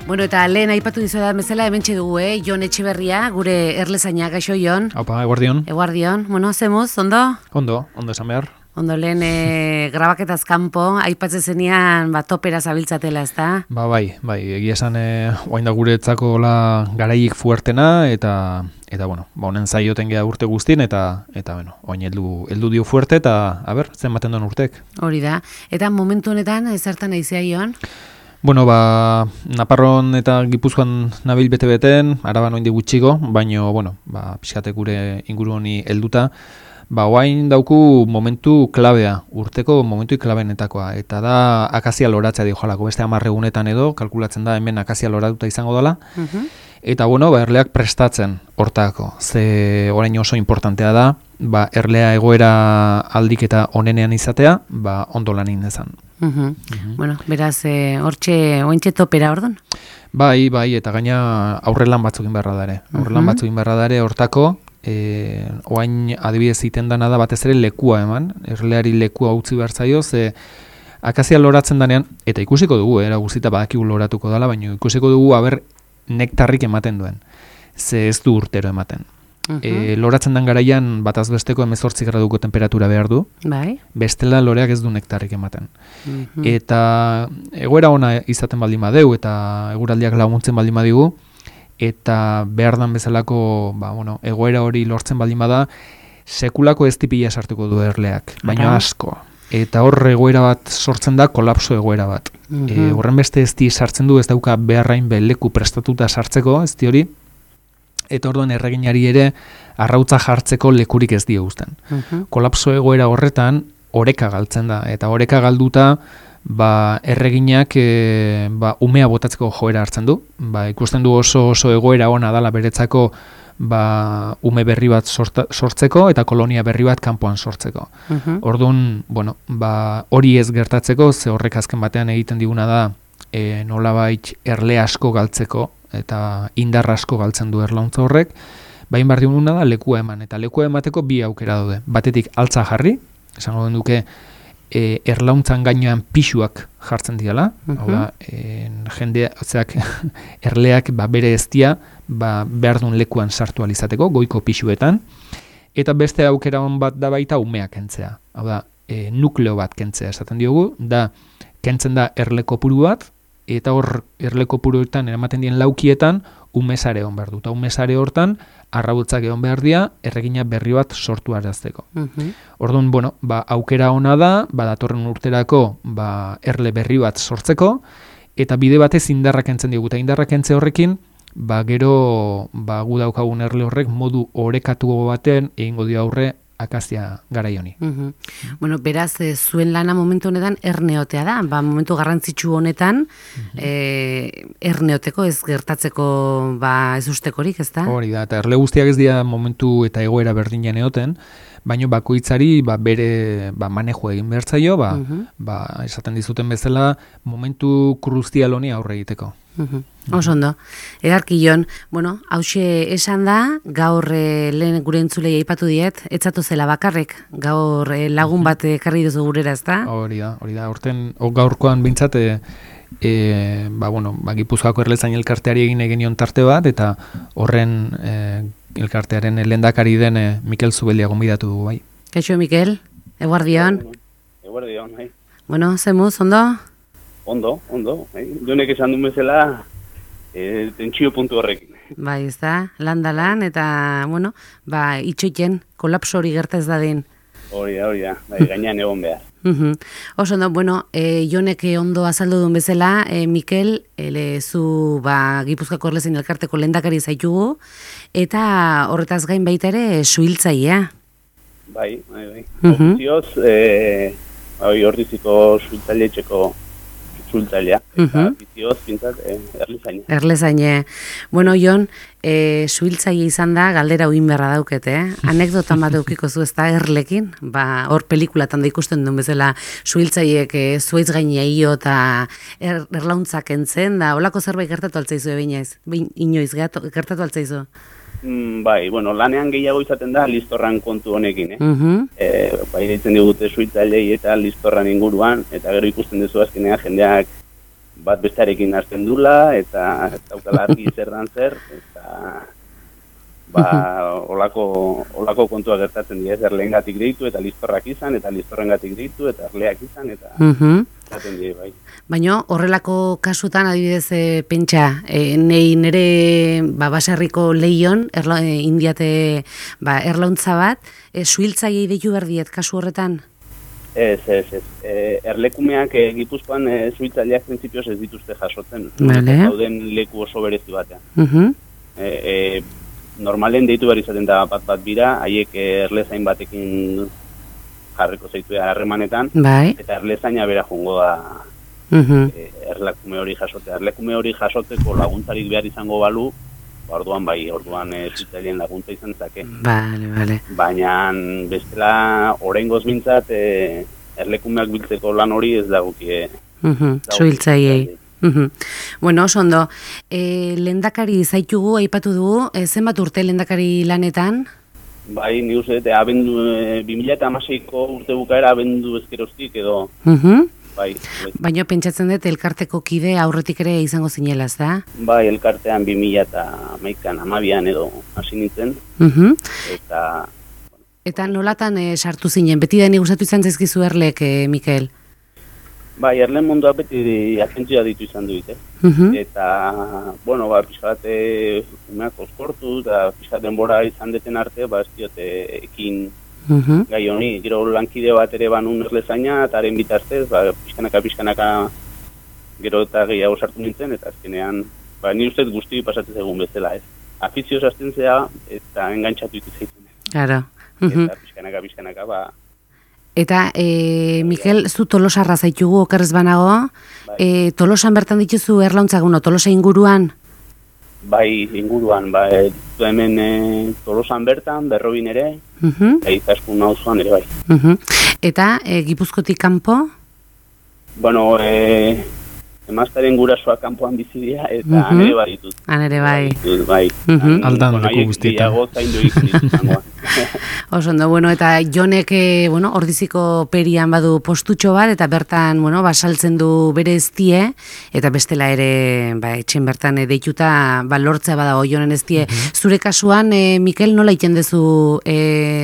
Bueno, eta lehen aipatu dizuetan bezala hementxe dugu, Jon Etxeberria, gure erlezaina, gaixo Jon. Aupa, eguardion. Eguardion, bueno, zemuz, ondo? Ondo esan behar. Ondo lehen grabaketaz kanpo, aipatzen zenean topera zabiltzatela, ezta? Bai, egia esan oain da guretzako garaik fuertena, eta bueno, honen zaioten geha urte guztien, eta bueno, oain heldu dio fuerte, eta, zen baten duen urtek. Hori da, eta momentu honetan, zertan aizea Jon? Bueno, Naparron eta Gipuzkoan nabil bete-beten, Araban oindi gutxiko, baino, bueno, pixkate gure inguru honi helduta, oain dauku momentu klabea, urteko momentu klabenetakoa, eta da akazia loratzea dio jalako, beste 10 egunetan edo, kalkulatzen da hemen akazia loratuta izango dela, eta bueno, erleak prestatzen hortako, ze orain oso importantea da, erlea egoera aldik eta onenean izatea, ondo lan indezan. Bueno, beraz, ointxe topera ordon? Bai, eta gaina aurrelan batzukin beharra dare. Aurrelan batzukin beharra dare hortako, oain adibidez iten dana da batez ere lekua eman, erleari lekua utzi behar zaio, ze akazia loratzen danean, eta ikusiko dugu, era guzita badakigu loratuko dela, baina ikusiko dugu nektarrik ematen duen, ze ez du urtero ematen. Loratzen den garaian bataz besteko 18 graduko temperatura behar du, bestela loreak ez du nektarrik ematen. Eta egoera ona izaten baldin badeu, eta eguraldiak laguntzen baldin badigu, eta behar dan bezalako egoera hori lortzen baldin bada, sekulako ez tipila sartuko du erleak, baina asko. Eta hor egoera bat sortzen da, kolapso egoera bat. Horren beste ez di sartzen du, ez dauka beharrain leku prestatuta sartzeko, ez di hori, eta orduan erreginari ere arrautza jartzeko lekurik ez dio uzten. Kolapso egoera horretan oreka galtzen da, eta oreka galduta erreginak umea botatzeko joera hartzen du. Ikusten du oso egoera ona dala beretzako ume berri bat sortzeko eta kolonia berri bat kanpoan sortzeko. Orduan, hori ez gertatzeko, ze horrek azken batean egiten diguna da nolabait erle asko galtzeko, eta indar asko galtzen du erlauntza horrek, bain behar diguna da lekua eman, eta lekua emateko bi aukera daude. Batetik altza jarri, esango den duke erlauntzan gainean pixuak jartzen diala, jendeak erleak bere eztia behar duen lekuan sartu alizateko, goiko pixuetan, eta beste aukera hon bat da baita umeak kentzea. Hau da, nukleo bat kentzea esaten diogu, da kentzen da erle kopuru bat, eta hor erle kopuruetan eramaten dien laukietan umesare egon behar du. Eta umesare hortan arrautzak egon behar dira erregina berri bat sortu arazteko. Orduan, aukera ona da, datorren urterako erle berri bat sortzeko, eta bide batez indarrak kentzen diogu. Eta indarrak kentze horrekin, gero gu daukagun erle horrek modu orekatu baten egingo dio aurre akazia garai honi. Bueno, beraz, zuen lana momentu honetan erneotea da, momentu garrantzitsu honetan erneoteko ez gertatzeko ez ustekorik, ez da? Hori da, eta erle guztiak ez dira momentu eta egoera berdinean egoten, baina bakoitzari bere manejo egin behar zaio, esaten dizuten bezala momentu kruzial honi aurre egiteko. Oso ondo. Edarki Jon, hauxe esan da, gaur lehen gure entzulei aipatu diet, etzatu zela bakarrek, gaur lagun bat ekarri duzu gurera, ez da? Hori da, horten, gaurkoan bintzat, Gipuzkoako erlezain elkarteari egin egenion tarte bat, eta horren elkartearen lehendakari den Mikel Zubelia gonbidatu dugu, bai. Kaixo, Mikel, eguardion. Eguardion, bai. Zemuz, ondo? Ondo, Jonek esan duen bezala tentsio puntu horrekin. Bai, ez da, lan, eta, itxoiten, kolapso hori gerta ez dadin. Hori da, gainean egon behar. Oso ondo, Jonek ondo azaldu duen bezala, Mikel, zu Gipuzkoako erlezain elkarteko lehendakari zaitugu, eta horretaz gain baita ere suhiltzailea. Bai. Ofizioz, Ordiziko suhiltzailetxeko suhiltzailea, eta ofizioz pintzat erlezaine. Erlezaine. Jon, suhiltzaile izan da, galdera uin beharra daukete, anekdotan bat eukiko zu ez da erlekin, hor pelikulatan da ikusten duen bezala suhiltzaileek zuaitz gainea io eta erlauntzak entzen, da holako zerbait gertatu altzaizu inoiz gertatu altzaizu? Bai, lanean gehiago izaten da listorran kontu honekin, deitzen digute suhiltzailei eta listorran inguruan, eta gero ikusten duzu azkenean jendeak bat bestearekin hasten dula, eta daukala argi zer dan zer, eta olako kontua gertatzen dira, erleengatik deitu, eta listorrak izan, eta listorrengatik deitu, eta erleak izan, eta gertatzen dira, bai. Baina horrelako kasutan, adibidez, pentsa, nire baserriko leion, indiate erlauntza bat, suhiltzaiei deitu berdiet kasu horretan? Ez. Erlekumeak Gipuzkoan suhiltzaileak printzipioz ez dituzte jasotzen. Dauden leku oso berezi batean. Normalen deitu behar izaten da bat bira, haiek erlezain batekin jarriko zaitu harremanetan, eta erlezaina bera jongo da erlekume hori jasotea. Erlekume hori jasoteko laguntzarik behar izango balu, orduan suhiltzaileen laguntza izan zake. Bale. Baina bestela oraingoz mintzat erlekumeak biltzeko lan hori ez dagokie. Suhiltzaileei. Bueno, oso ondo. Lehendakari zaitugu, aipatu dugu, zenbat urte lehendakari lanetan? Bai, ni uste, 2016ko urte bukaera abendu ezkeroztik edo. Bai. Baina pentsatzen dut elkarteko kide aurretik ere izango zinela, ez da? Bai, elkartean 2011an, 12an edo hasi nintzen. Eta nolatan sartu zinen? Beti da ni gustatu izan zaizkizu Erlek, Mikel? Bai, erleen munduak beti agentzia ditu izan duit, Eta, pixkat umeak oskortu, eta pixkat denbora izan deten arte, ez diote ekin gai honi. Gero lankide bat ere banun erlezaina, eta haren bitartez, pixkanaka gero eta gehiago sartu nintzen, eta azkenean, ni ustez guzti pasatzen egun bezala, ez. Afizioz azten zea, eta engantxatu ikutzen. Claro. Eta pixkanaka, Eta, Mikel, zu Tolosarra zaitugu okerrez banago, Tolosan bertan dituzu erlauntzak, Tolosa inguruan? Bai, inguruan, hemen Tolosan bertan, Berrobin ere, eta Izaskun auzoan ere bai. Eta, Gipuzkotik kanpo? Bueno, emaztaren gurasoa kanpoan bizi dira, eta han ere bai ditut. Han ere bai. Bai. Aldan leku guztietan. Oso ondo, eta Jonek, ordiziko perian badu postutxo bat, eta bertan, basaltzen du bere eztie, eta bestela ere, etxen bertan deituta, lortzea badago Jonen eztie. Zure kasuan, Mikel, nola iten dezu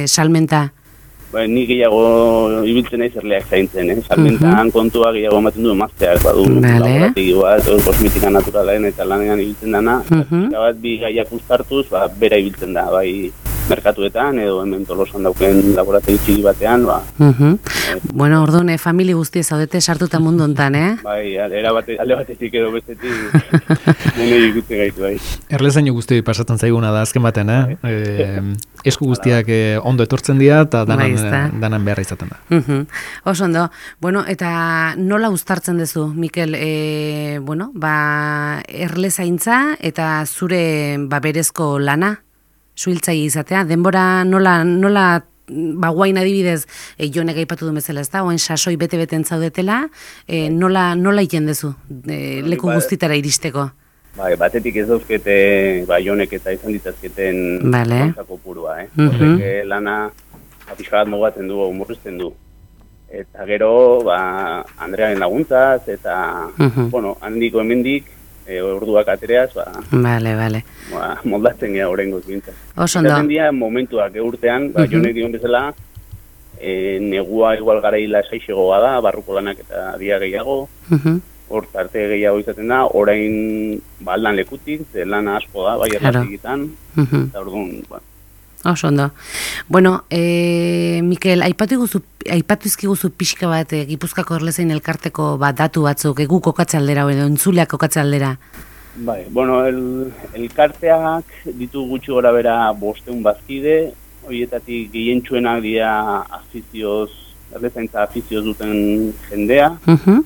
salmenta? Ni gehiago ibiltzen naiz erleak zaintzen, salmentan kontua gehiago ematen du emazteak, badu laborategi bat, kosmetika naturalaren eta lanean ibiltzen dana, bat bi gaiak uztartuz, bera ibiltzen da, bai merkatuetan, edo hemen Tolosan dauken laborategi txiki batean, orduan, famili guztie zaudete sartuta mundu hontan, Bai, alde batetik edo bestetik, nene ikutzen gaitu, bai. Erlezaino guzti pasatzen zaiguna da azken baten, esku guztiak ondo etortzen dira, eta danan beharra izaten da. Oso ondo. Eta nola uztartzen duzu, Mikel, erlezaintza eta zure berezko lana? Suhiltzaile izatea, denbora nola guain adibidez, Jonek aipatu du bezala, ez da, oen sasoi bete-beten zaudetela, nola iten dezu, leku guztitara iristeko? Batetik ez dauzkete, Jonek eta izan ditazketen kontzako purua, horrek lana apixagat mogatzen du, murrizten du. Eta gero, Andrearen laguntzaz, eta, handiko hemendik, orduak atereaz, moldatzen gara horrengoz bintzat. Zaten dira momentuak urtean, Jonek dion bezala, negua igual garaila esaixegoa da, barruko lanak eta dia gehiago, hor arte gehiago izaten da, orain aldan lekutik, lana asko da, erratikitan, eta orduan, Oso ondo. Mikel, aipatu izkiguzu pixka bat Gipuzkoako erlezain elkarteko datu batzuk, egu kokatze aldera, edo entzuleak kokatze aldera? Bai, elkarteak ditu gutxi gora bera 500 bazkide, horietatik gehientsuenak dira erlezaintza afizioz duten jendea,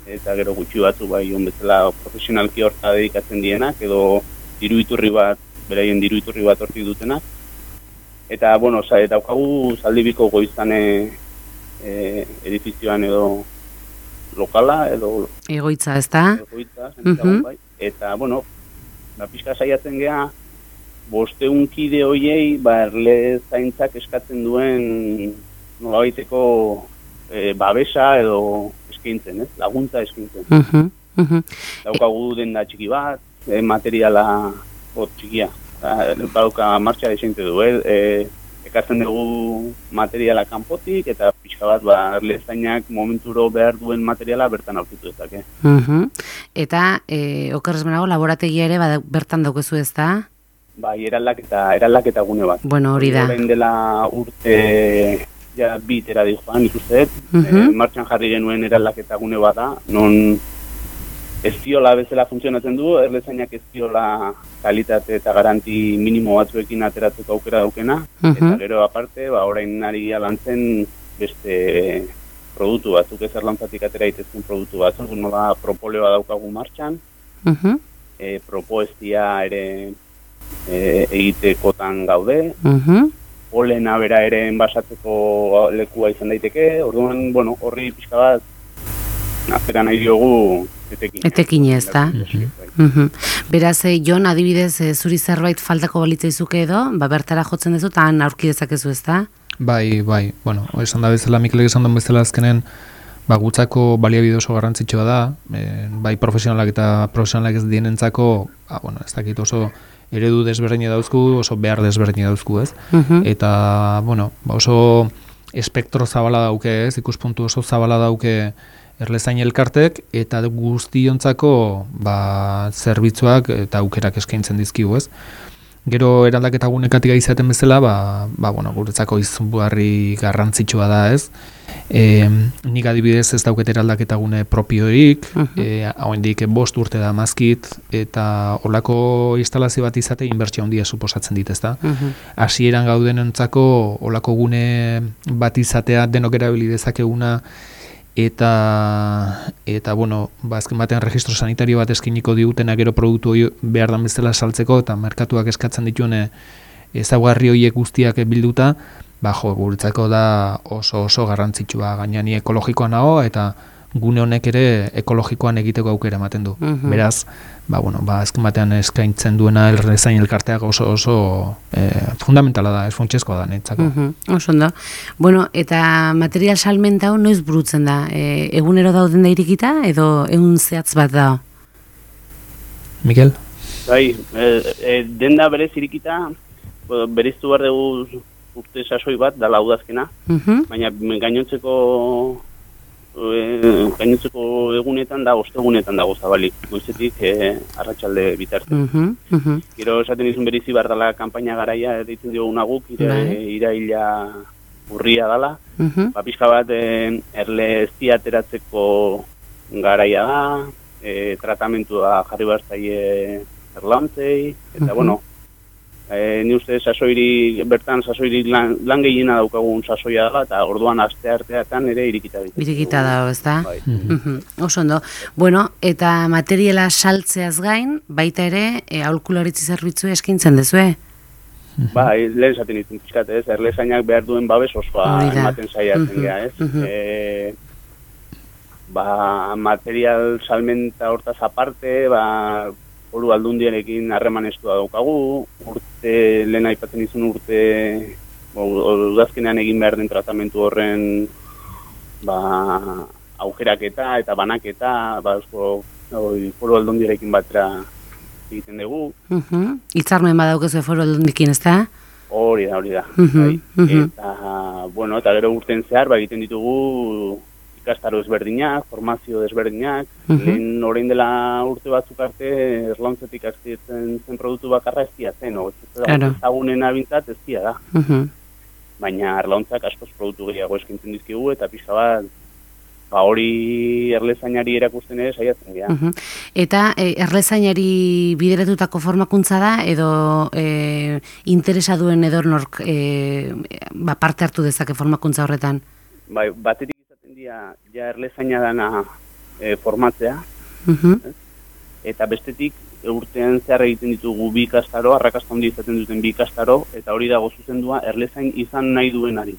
eta gero gutxi batzu bezala profesionalki horta dedikatzen dienak, edo beraien diru iturri bat hortik dutenak. Eta, daukagu Zaldibiko Goizane edifizioan edo lokala, edo... Egoitza, ez da? Egoitza, eta, pixka saiatzen geha, 500 kide hoiei, erlezaintzak eskatzen duen nolabaiteko babesa edo eskaintzen, laguntza eskaintzen. Daukagu denda txiki bat, materiala txikia. Dauka martxa desente du, ekartzen dugu materiala kanpotik eta pixka bat erlezainak momenturo behar duen materiala bertan aurkitu dezake. Eta okerrez benago laborategia ere bertan daukezu ez da? Bai, eraldaketa gune bat. Bueno, hori da. Orain dela urte ja bitera dijoan ikusten, martxan jarri genuen eraldaketa gune bat da, non ezkiola bezala funtzionatzen du, erlezainak ezkiola kalitate eta garanti minimo batzuekin ateratzeko aukera daukena, eta gero aparte, orain ari alantzen beste produktu batzuk, ez erlantzatik atera itezken produktu batzuk, nola propoleoa daukagu martxan, propoestia ere egitekotan gaude, polena bera ere enbasatzeko lekua izan daiteke, orduan, horri pixka bat, azera nahi diogu etekine ez da. Beraz, Jon, adibidez, zuri zerbait faltako balitzaizuke edo, bertara jotzen duzu eta han aurki dezakezu ez da? Bai, esan da bezala, Mikelek esan duen bezala azkenen, gutzako baliabide oso garrantzitsua da, bai profesionalak eta profesionalak ez dienentzako, ez dakit oso eredu desberdina dauzku, oso behar desberdina dauzku, ez? Eta, oso espektro zabala dauke, ez? Ikuspuntu oso zabala dauke erlezain elkartek, eta guztiontzako zerbitzuak eta aukerak eskaintzen dizkigu, ez? Gero eraldaketa gunekatik izaten bezala, guretzako izugarri garrantzitsua da, ez? Nik adibidez ez dauket eraldaketa gune propiorik, hauendik 5 urte da mazkit, eta olako instalazio bat izate inbertsio handia suposatzen dit, ez da? Hasieran gaudenentzako olako gune bat izatea denok erabili dezakeguna, eta azken batean registro sanitario bat eskiniko digutena gero produktu hori behar dan bezala saltzeko eta merkatuak eskatzen dituen ezaugarri horiek guztiak bilduta, guretzako da oso garrantzitsua, gaina ni ekologikoa nago eta gune honek ere ekologikoan egiteko aukera ematen du. Beraz, azken batean eskaintzen duena erlezain elkarteak oso fundamentala da, funtsezkoa da netzako. Oso ondo. Eta material salmenta hau noiz burutzen da? Egunero dauden da irikita edo egun zehatz bat da? Mikel? Bai, denda berez irikita, beriztu behar dugu urte sasoi bat, dala udazkena, baina gainontzeko egunetan da, ostegunetan dago zabalik, goizetik arratsalde bitarte. Gero esaten izun berizi behar dela kanpaina garaia, deitzen dioguna guk, iraila urria dela, pixka bat erle ezti ateratzeko garaia da, tratamentua jarri behar zaie erlantzei, eta ni uste bertan sasoiri lan gehiena daukagun sasoia dela, eta orduan aste arteatan ere irikita ditu. Irikita dago, ez da? Oso ondo. Eta materiala saltzeaz gain, baita ere, aholkularitza zerbitzu eskaintzen dezue? Lehen esaten ditzen pixkat, ez? Erlezainak behar duen babes osoa ematen saiatzen geha, ez? Material salmenta hortaz aparte, Foru Aldundiarekin harremanestua daukagu, lehen aipatzen izun urte, udazkenean egin behar den tratamentu horren aukeraketa eta banaketa, Foru Aldundiarekin batera egiten dugu. Hitzarmen badaukezu Foru Aldundikin, ez da? Hori da. Eta gero urten zehar egiten ditugu ikastaro ezberdinak, formazio ezberdinak, lehen orain dela urte batzuk arte erlauntzetik aztietzen zen produktu bakarra eztia zen, ezagunen abintzat eztia da. Baina erlauntzak askoz produktu gehiago eskintzen dizkigu eta pixka bat hori erlezainari erakusten ere saiatzen dira. Eta erlezainari bideratutako formakuntza da edo interesa duen edornork parte hartu dezake formakuntza horretan? Batetik ja erlezaina dana formatzea, eta bestetik urtean zehar egiten ditugu 2 ikastaro, arrakasta handi izaten duten 2 ikastaro, eta hori dago zuzendua erlezain izan nahi duenari.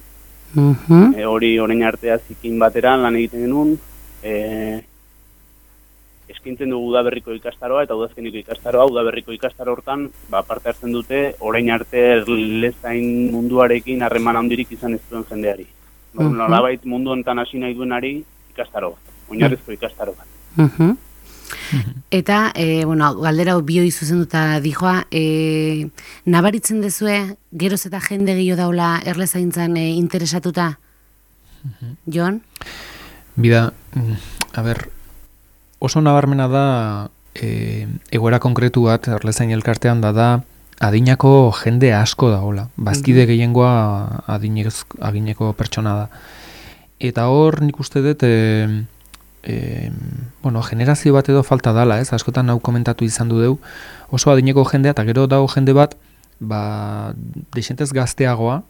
Hori orain artea zikin batera lan egiten genuen, eskintzen dugu udaberriko ikastaroa eta udazkeniko ikastaroa, udaberriko ikastaro hortan parte hartzen dute orain arte erlezain munduarekin harreman handirik izan ez duen jendeari. Nolabait mundu honetan hasi nahi duenari ikastaro bat, oinarrizko ikastaro bat. Eta, galdera bioi zuzenduta dijoa, nabaritzen dezue, geroz eta jende gehiago daula erlezaintzan interesatuta? Jon? Bida, oso nabarmena da, egoera konkretu bat erlezain elkartean da adinako jende asko dagoela. Bazkide gehiengoa adineko pertsona da. Eta hor nik uste dut, generazio bat edo falta dala, ez? Askotan hau komentatu izan du deu, oso adineko jendea, eta gero dago jende bat, desentez gazteagoa,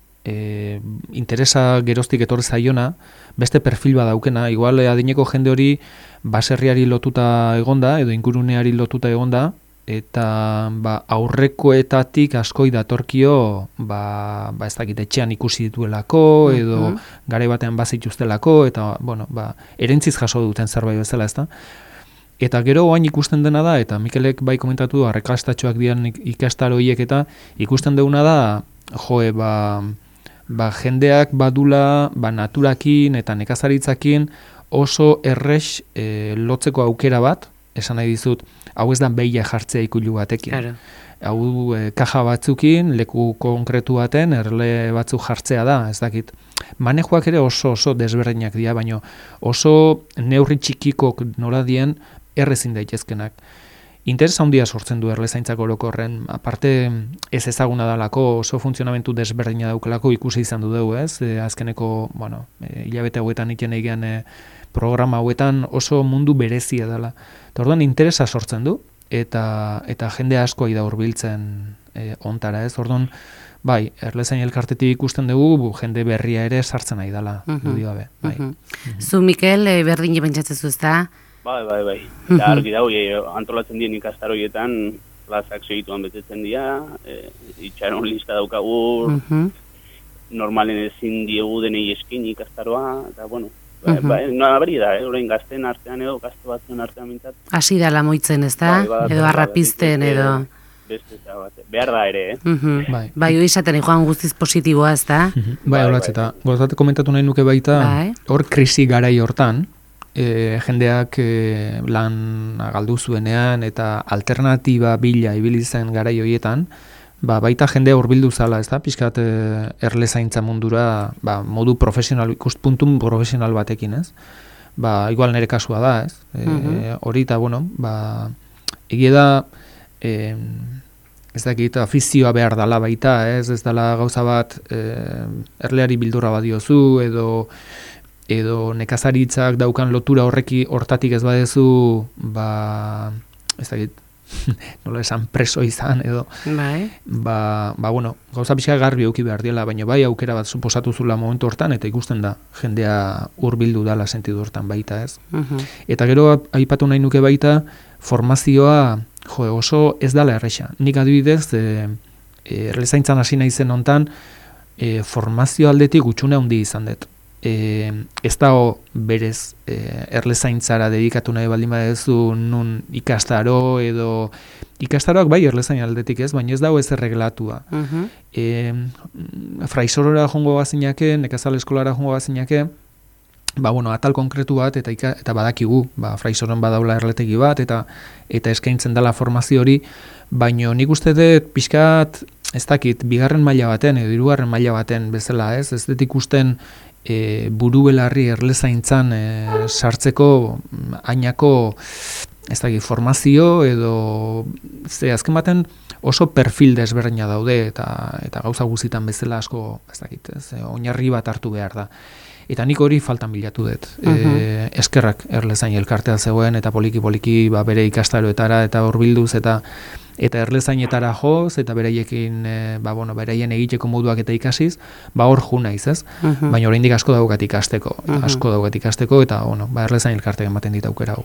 interesa geroztik etorri zaiona, beste perfil bat daukena, igual adineko jende hori baserriari lotuta egonda, edo inguruneari lotuta egonda, eta aurrekoetatik askoi datorkio ez dakit etxean ikusi dituelako edo garai batean bazituztelako eta erentziz jaso duten zerbait bezala, ezta? Eta gero oain ikusten dena da, eta Mikelek bai komentatu arrakastatxoak dian ikastaro horiek eta ikusten deuna da jendeak badula naturakin eta nekazaritzakin oso errex lotzeko aukera bat, esan nahi dizut, hau ez da behia jartzea ikulu batekin. Claro. Hau kaja batzukin, leku konkretu baten, erle batzuk jartzea da, ez dakit. Manejoak ere oso desberdinak dira, baina oso neurri txikikok nola dien errezin daitezkenak. Interesa handia sortzen du erlezaintzako orokorren, aparte ez ezaguna dalako, oso funtzionamentu desberdina daukelako ikusi izan du dugu, ez? Azkeneko, hilabete hauetan iten egian programa hauetan oso mundu berezia dela. Eta orduan interesa sortzen du, eta jende asko da hurbiltzen ontara, ez? Orduan, bai, erlezain elkartetik ikusten dugu, jende berria ere sartzen nahi dela, dudi gabe. Zu, Mikel, berdin pentsatzen ez da? Bai. Eta argi dago, antolatzen dien ikastaroietan, plazak segituan betetzen dira, itxaron lista daukagu, normalen ezin diegu denei eskin ikastaroa, eta nabari da, orain gazten artean edo, gazte batzuen artean mintzat. Hasi da lamoitzen, ez da? Edo arrapizten, edo... Behar da ere, Bai, hori esaten joan guztiz positiboa, ez da? Bai, horatz, eta gozate komentatu nahi nuke baita, hor krisi garai hortan, jendeak lan galdu zuenean eta alternatiba bila ibili zen garai horietan, baita jendea hurbildu zala, ez da, pixkat erlezaintza mundura modu profesional, ikuspuntu profesional batekin, ez? Igual nire kasua da, ez? Hori eta, egia da, ez dakit, afizioa behar dala baita, ez dala gauza bat erleari bildurra badiozu, edo nekazaritzak daukan lotura hortatik ez badezu, ez dakit, nola esan preso izan, edo, gauza pixka garbi auki behar diela, baina bai aukera bat suposatu zula momentu hortan, eta ikusten da, jendea hurbildu dala sentidu hortan baita, ez? Eta gero aipatu nahi nuke baita, formazioa, oso ez dala erresa. Nik adibidez, erlezaintzan hasi nahi zen hontan, formazio aldetik gutxune handi izan dut. Ez dago berez erlezaintzara dedikatu nahi baldin badezu nun ikastaro edo ikastaroak bai erlezain aldetik ez, baina ez dago ez erreglatua. Fraisorora jongo bazinake, nekazal eskolara jongo bazinake, atal konkretu bat eta badakigu, fraisoron badaula erletegi bat eta eskaintzen dela formazio hori, baina nik uste dut pixkat, ez dakit, bigarren maila baten edo hirugarren maila baten bezala, ez dut ikusten buru belarri erlezaintzan sartzeko ainako ez dakit, formazio edo azken baten oso perfil desberdina daude eta gauza guztitan bezala asko ez dakit, oinarri bat hartu behar da. Eta nik hori faltan bilatu dut. Eskerrak erlezain elkartea zegoen eta poliki-poliki bere ikastaroetara eta hurbilduz eta erlezainetara joz eta beraiekin beraien egiteko moduak eta ikasiz, hor jo naiz, ez? Baina oraindik asko daukat ikasteko, eta erlezain elkarteak ematen dit aukera hau.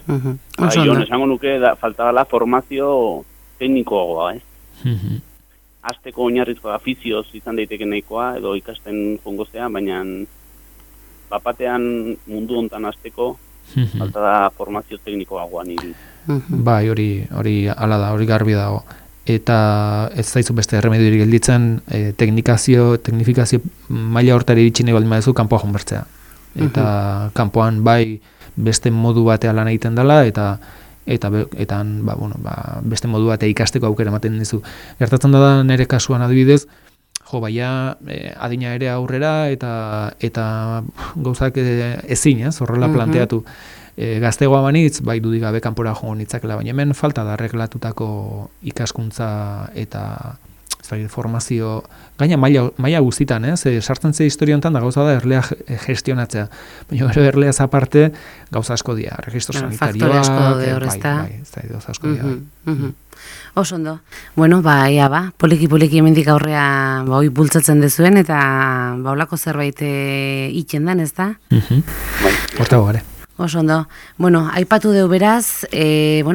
Jon, esango nuke falta dela formazio teknikoagoa, ez? Hasteko oinarrizko afizioz izan daiteke nahikoa edo ikasten jongozea, baina bapatean mundu hontan hasteko falta da formazio teknikoagoa niri. Bai, hori hala da, hori garbi dago. Eta ez zaizu beste erremediorik gelditzen, teknifikazio maila hortari iritsi nahi baldin baduzu kanpoa jonbertzea. Eta kanpoan bai beste modu batea lan egiten dela eta eta beste modu bat ikasteko aukera ematen dizu. Gertatzen da nire kasuan adibidez, baina adina ere aurrera eta gauzak ezin, horrela planteatu. Gaztegoa banitz, bai dudik gabe kanpora joan nitzakela, baina hemen falta da erreglatutako ikaskuntza eta formazio, gaina maila guztitan, sartzen ze historia honetan da gauza da erlea gestionatzea, baina erleaz aparte gauza asko dira, registro sanitarioak, faktore asko daude hor, ezta? Bai, gauza asko dira. Oso ondo. Bueno, poliki hemendik aurrea hoi bultzatzen dezuen eta olako zerbait itxen dan, ezta? Hortago gare. Oso ondo. Bueno, aipatu deu beraz,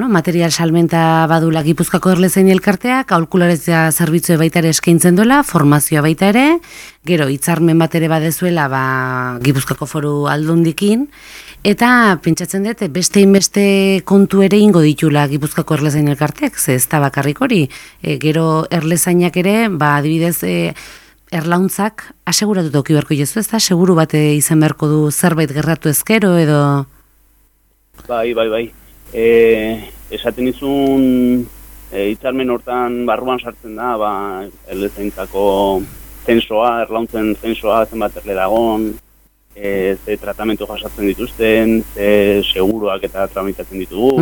material salmenta badula Gipuzkoako Erlezain elkarteak, aholkularitza zerbitzue baita ere eskaintzen duela, formazioa baita ere, gero hitzarmen bat ere badezuela Gipuzkoako Foru Aldundikin, eta pentsatzen dut beste inbeste kontu ere ingo ditula Gipuzkoako Erlezain elkarteak, ze ez da bakarrik hori, gero Erlezainak ere, adibidez, erlauntzak aseguratu toki beharko jezu, ez da? Seguru bat izan beharko du zerbait gerratu ezkero edo? Bai. Esaten izun hitzarmen hortan barruan sartzen da, erlezaintzako zensoa, erlauntzen zensoa, zenbat erle dagon, ze tratamentu jasatzen dituzten, ze seguruak eta tramitatzen ditugu,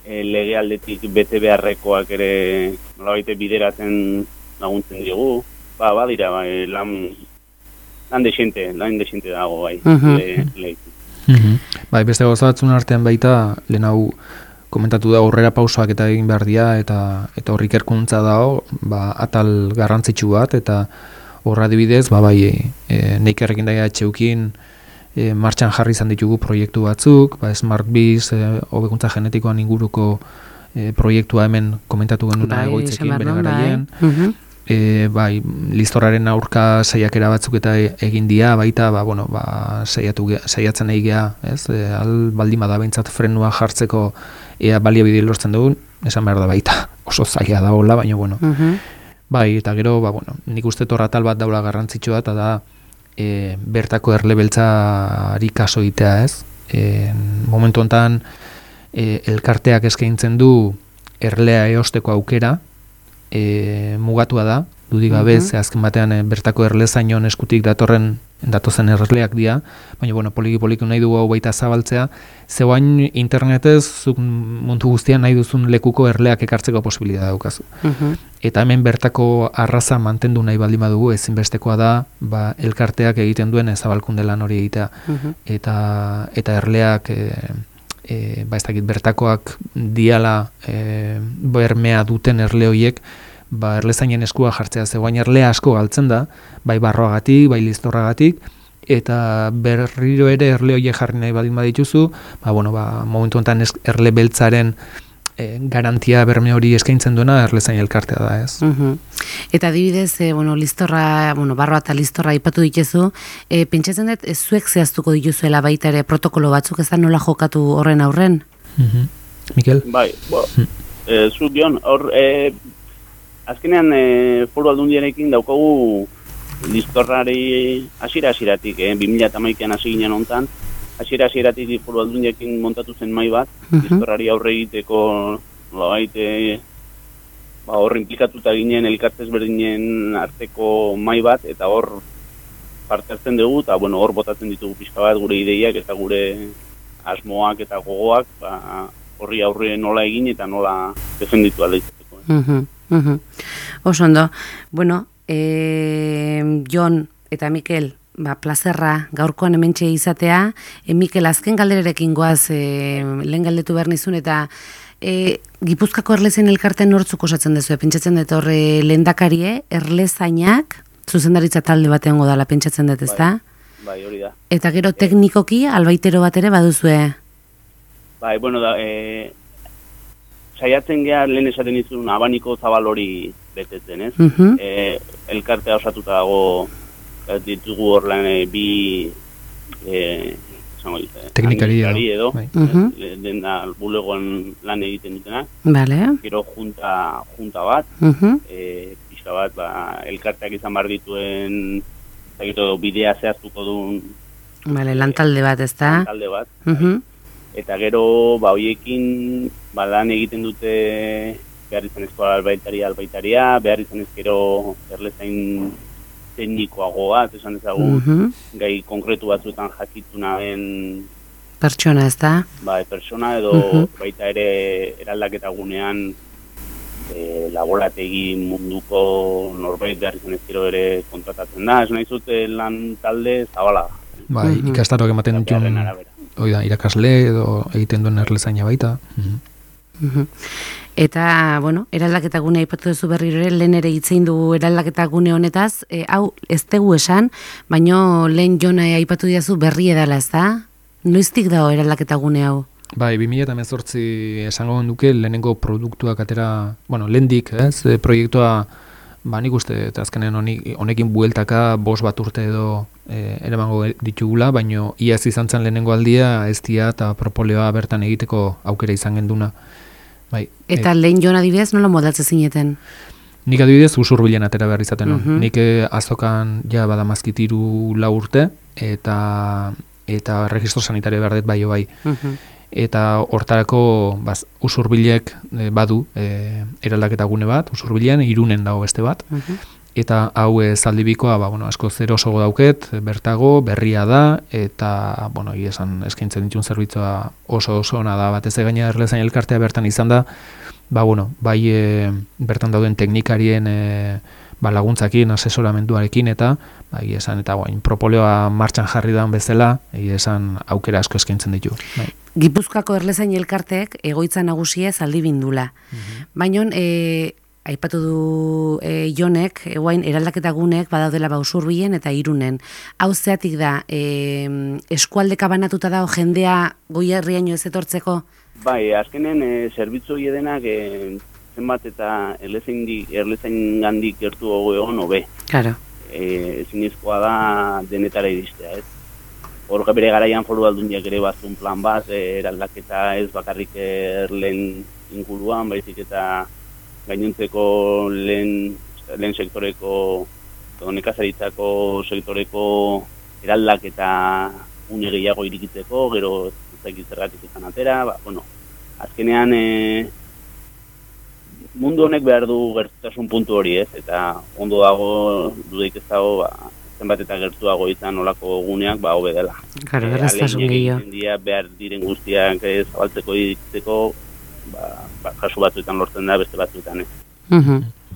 lege aldetik bete beharrekoak ere nolabait bideratzen laguntzen digu. Badira, lan desente dago, bai. Bai, beste gauzatzen artean baita, lehen hau komentatu da aurrera pausoak eta egin behar dira, eta horrik erkuntza dago, atal garrantzitsu bat, eta horra adibidez, neik errekin daia etxeukin, martxan jarri izan ditugu proiektu batzuk, Smart Biz, hobekuntza genetikoan inguruko proiektua hemen komentatu genuna egoitzekin bere garaien, listorraren aurka saiakera batzuk eta egin dia, baita, saiatzen egitea, baldin bada behintzat frenua jartzeko ea baliabide lortzen dugun, esan behar da baita, oso zaila da hola, baina, eta gero, nik uste torra tal bat daula garrantzitsua, eta da, bertako erlebeltzari kaso itea, momentu honetan, elkarteak eskaintzen du erlea eosteko aukera, mugatua da, dudik gabe, ze azken batean bertako erlezainon eskutik datozen erleak dira, baina poliki nahi dugu hau baita zabaltzea, zeuain internetez zuk mundu guztian nahi duzun lekuko erleak ekartzeko posibilitatea daukazu. Eta hemen bertako arraza mantendu nahi baldin badugu, ezinbestekoa da, elkarteak egiten duen zabalkunde lan hori egitea, eta erleak ez dakit bertakoak diala bermea duten erle horiek erlezainen eskua jartzea, zegoain erlea asko galtzen da, bai barroagatik, bai listorragatik, eta berriro ere erle horiek jarri nahi baldin badituzu, momentu honetan erle beltzaren garantia berme hori eskaintzen duena erlezain elkartea da, ez? Eta adibidez, listorra, barroa eta listorra aipatu dituzu, pentsatzen dut, zuek zehaztuko dituzuela baita ere protokolo batzuk, ez da nola jokatu horren aurren? Mikel? Bai, zuk Jon, hor, azkenean Foru Aldundiarekin daukagu listorrari hasieratik, 2011an hasi ginen hontan, hasieratik Foru Aldundiarekin montatu zen mahai bat, listorrari aurre egiteko nolabait hor implikatuta ginen elkartez berdinen arteko mahai bat, eta hor parte hartzen dugu, eta hor botatzen ditugu pixka bat gure ideiak eta gure asmoak eta gogoak, horri aurre nola egin eta nola defenditu aldaizateko. Oso ondo. Jon eta Mikel, plazerra gaurkoan hementxe izatea. Mikel, azken galdererekin goaz, lehen galdetu behar nizun, eta Gipuzkoako Erlezain elkartean nortzuk osatzen dezu, pentsatzen dut horre lehendakarie, erlezainak, zuzendaritza talde bat egongo dela pentsatzen dut, ezta? Bai, hori da. Eta gero teknikoki, albaitero bat ere baduzue? Bai, saiatzen geha lehen esaten izun abaniko zabal hori betetzen, ez? Elkartea osatuta dago ditugu hor lan bi teknikari edo dena bulegoan lan egiten dutena. Gero junta bat, pixka bat, elkarteak izan behar dituen bidea zehaztuko duen lantalde bat, ez da? Lantalde bat. Eta gero, horiekin lan egiten dute behar izanezko albaitaria, behar izanezkero erlezain teknikoagoa, esan dezagun, gai konkretu batzuetan jakitu nahen pertsona, ez da? Bai, pertsona edo baita ere eraldaketa gunean laborategi munduko norbait behar izanezkero ere kontratatzen da. Ez nahi zute lan talde zabala. Bai, ikastaroak ematen dituen irakasle edo egiten duen erlezaina baita. Eta, bueno, eraldaketa gunea aipatu duzu berriro ere, lehen ere hitzein du eraldaketa gune honetaz, hau ez tegu esan, baino lehen Jona aipatu diazu berri edala, ez da? Noiztik dago eraldaketa gune hau? Bai, 2018 esango duke lehenengo produktuak atera, bueno, lehendik, proiektua, nik uste, eta azkenen honekin bueltaka 5 bat urte edo eramango ditugula, baino iaz izan zen lehenengo aldia, eztia eta propoleoa bertan egiteko aukera izan genduna. Bai, eta lehen Jon adibidez nola modatze zineten? Nik adibidez Usurbilen atera behar izaten non. Nik azokan badamazkit 3-4 urte eta registro sanitario behar dut bai. Eta hortarako Usurbilek badu eraldaketa gune bat, Usurbilen Irunen dago beste bat. Eta hau zaldibikoa, asko zer osogo dauket, bertago, berria da, eta, esan eskaintzen ditun zerbitzua oso ona da, batez gaina erlezain elkartea bertan izan da, bai bertan dauden teknikarien laguntzakin, asesoramenduarekin, eta, esan, eta propoleoa martxan jarri daun bezala, esan aukera asko eskaintzen ditu. Gipuzkoako erlezain elkarteek egoitza nagusia zaldibindula. Baina, aipatu du Jonek, guain eraldaketa gunek badaudela Usurbilen eta Irunen. Hau zeatik da, eskualdeka banatuta dago jendea Goierriaino ez etortzeko? Bai, azkenen zerbitzu hiedenak zenbat eta erlezain gandik gertu egon hobe. Claro. Ezinezkoa da denetara iristea, ez? Hor bere garaian Foru Aldundiak ere bazun plan bat, eraldaketa ez bakarrik erlen inguruan, baizik eta gainontzeko lehen sektoreko, nekazaritzako sektoreko eraldaketa une gehiago irikitzeko, gero ezakit zergatik izan atera, azkenean mundu honek behar du gertutasun puntu hori, ez? Eta ondo dago, dudaik ez dago, zenbat eta gertuago izan olako guneak, hobe dela. Claro, gertutasun gehiago. Behar diren guztiak zabaltzeko irikitzeko, kasu batzuetan lortzen da, beste batzuetan ez.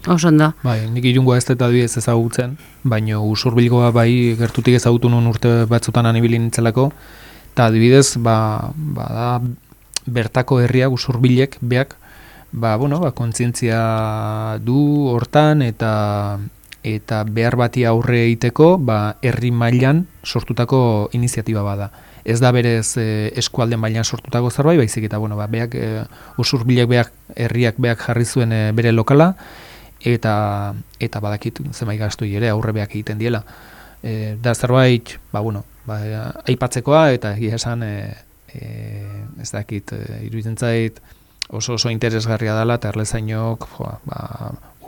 Oso ondo. Bai, nik Irungoa ez eta adibidez ezagutzen, baina Usurbilgoa bai gertutik ezagutu nun urte batzutan anibili nintzelako, eta adibidez, da bertako herriak Usurbilek beak, kontzientzia du hortan eta behar bati aurre egiteko, herri mailan sortutako iniziatiba bada. Ez da berez eskualde mailan sortutako zerbait, baizik eta beak Usurbilek herriak beak jarri zuen bere lokala eta badakit zenbait gastoi ere aurre beak egiten diela. Da zerbait, aipatzekoa eta egia esan ez dakit iruditzen zait oso interesgarria dela eta erlezainok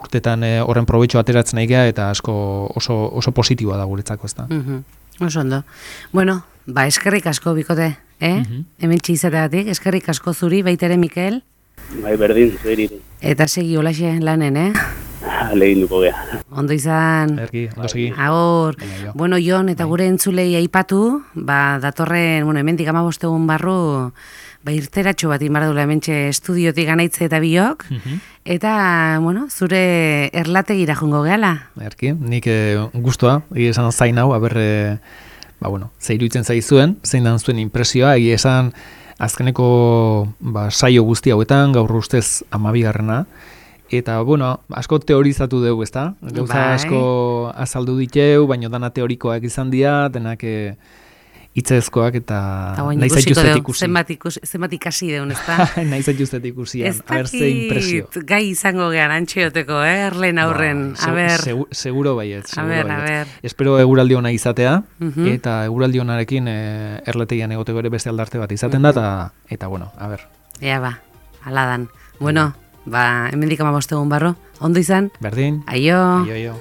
urtetan horren probetxo ateratzen nahi geha eta asko oso positiboa da guretzako, ezta. Oso ondo. Bueno, eskerrik asko bikote, hemen txizategatik, eskerrik asko zuri, baita ere Mikel. Bai, berdin, zeriri. Eta segi olaxe lanen, Lehin duko geha. Ondo izan. Erki, ondo segi. Agur. Bueno, Jon, eta gure entzulei aipatu, datorren, hemendik 15 egun barru, irteratxo bat inbardula hementxe estudiotik anaitze eta biok, eta, zure erlategira jungo gehala. Erki, nik guztua, esan zain hau, ze iruditzen zaizuen, zein dan zuen impresioa, esan azkeneko saio guzti hauetan, gaur ustez 12. Eta, asko teorizatu dugu, ezta? Gauza asko azaldu diteu, baina dana teorikoak izan dira, denak hitzezkoak eta nahi zaituzet ikusi. Zenbat ikasi deun, ezta? Nahi zaituzet ikusian, haber ze impresio. Gai izango gehan antxeoteko, erlen aurren, seguro baiet, seguro baiet. Espero eguraldi ona izatea, eta eguraldi onarekin erletegian egoteko ere beste aldarte bat izaten da, eta haber. Ea aladan. Hemendik 15 egun barro, ondo izan? Berdin. Aio. Aio.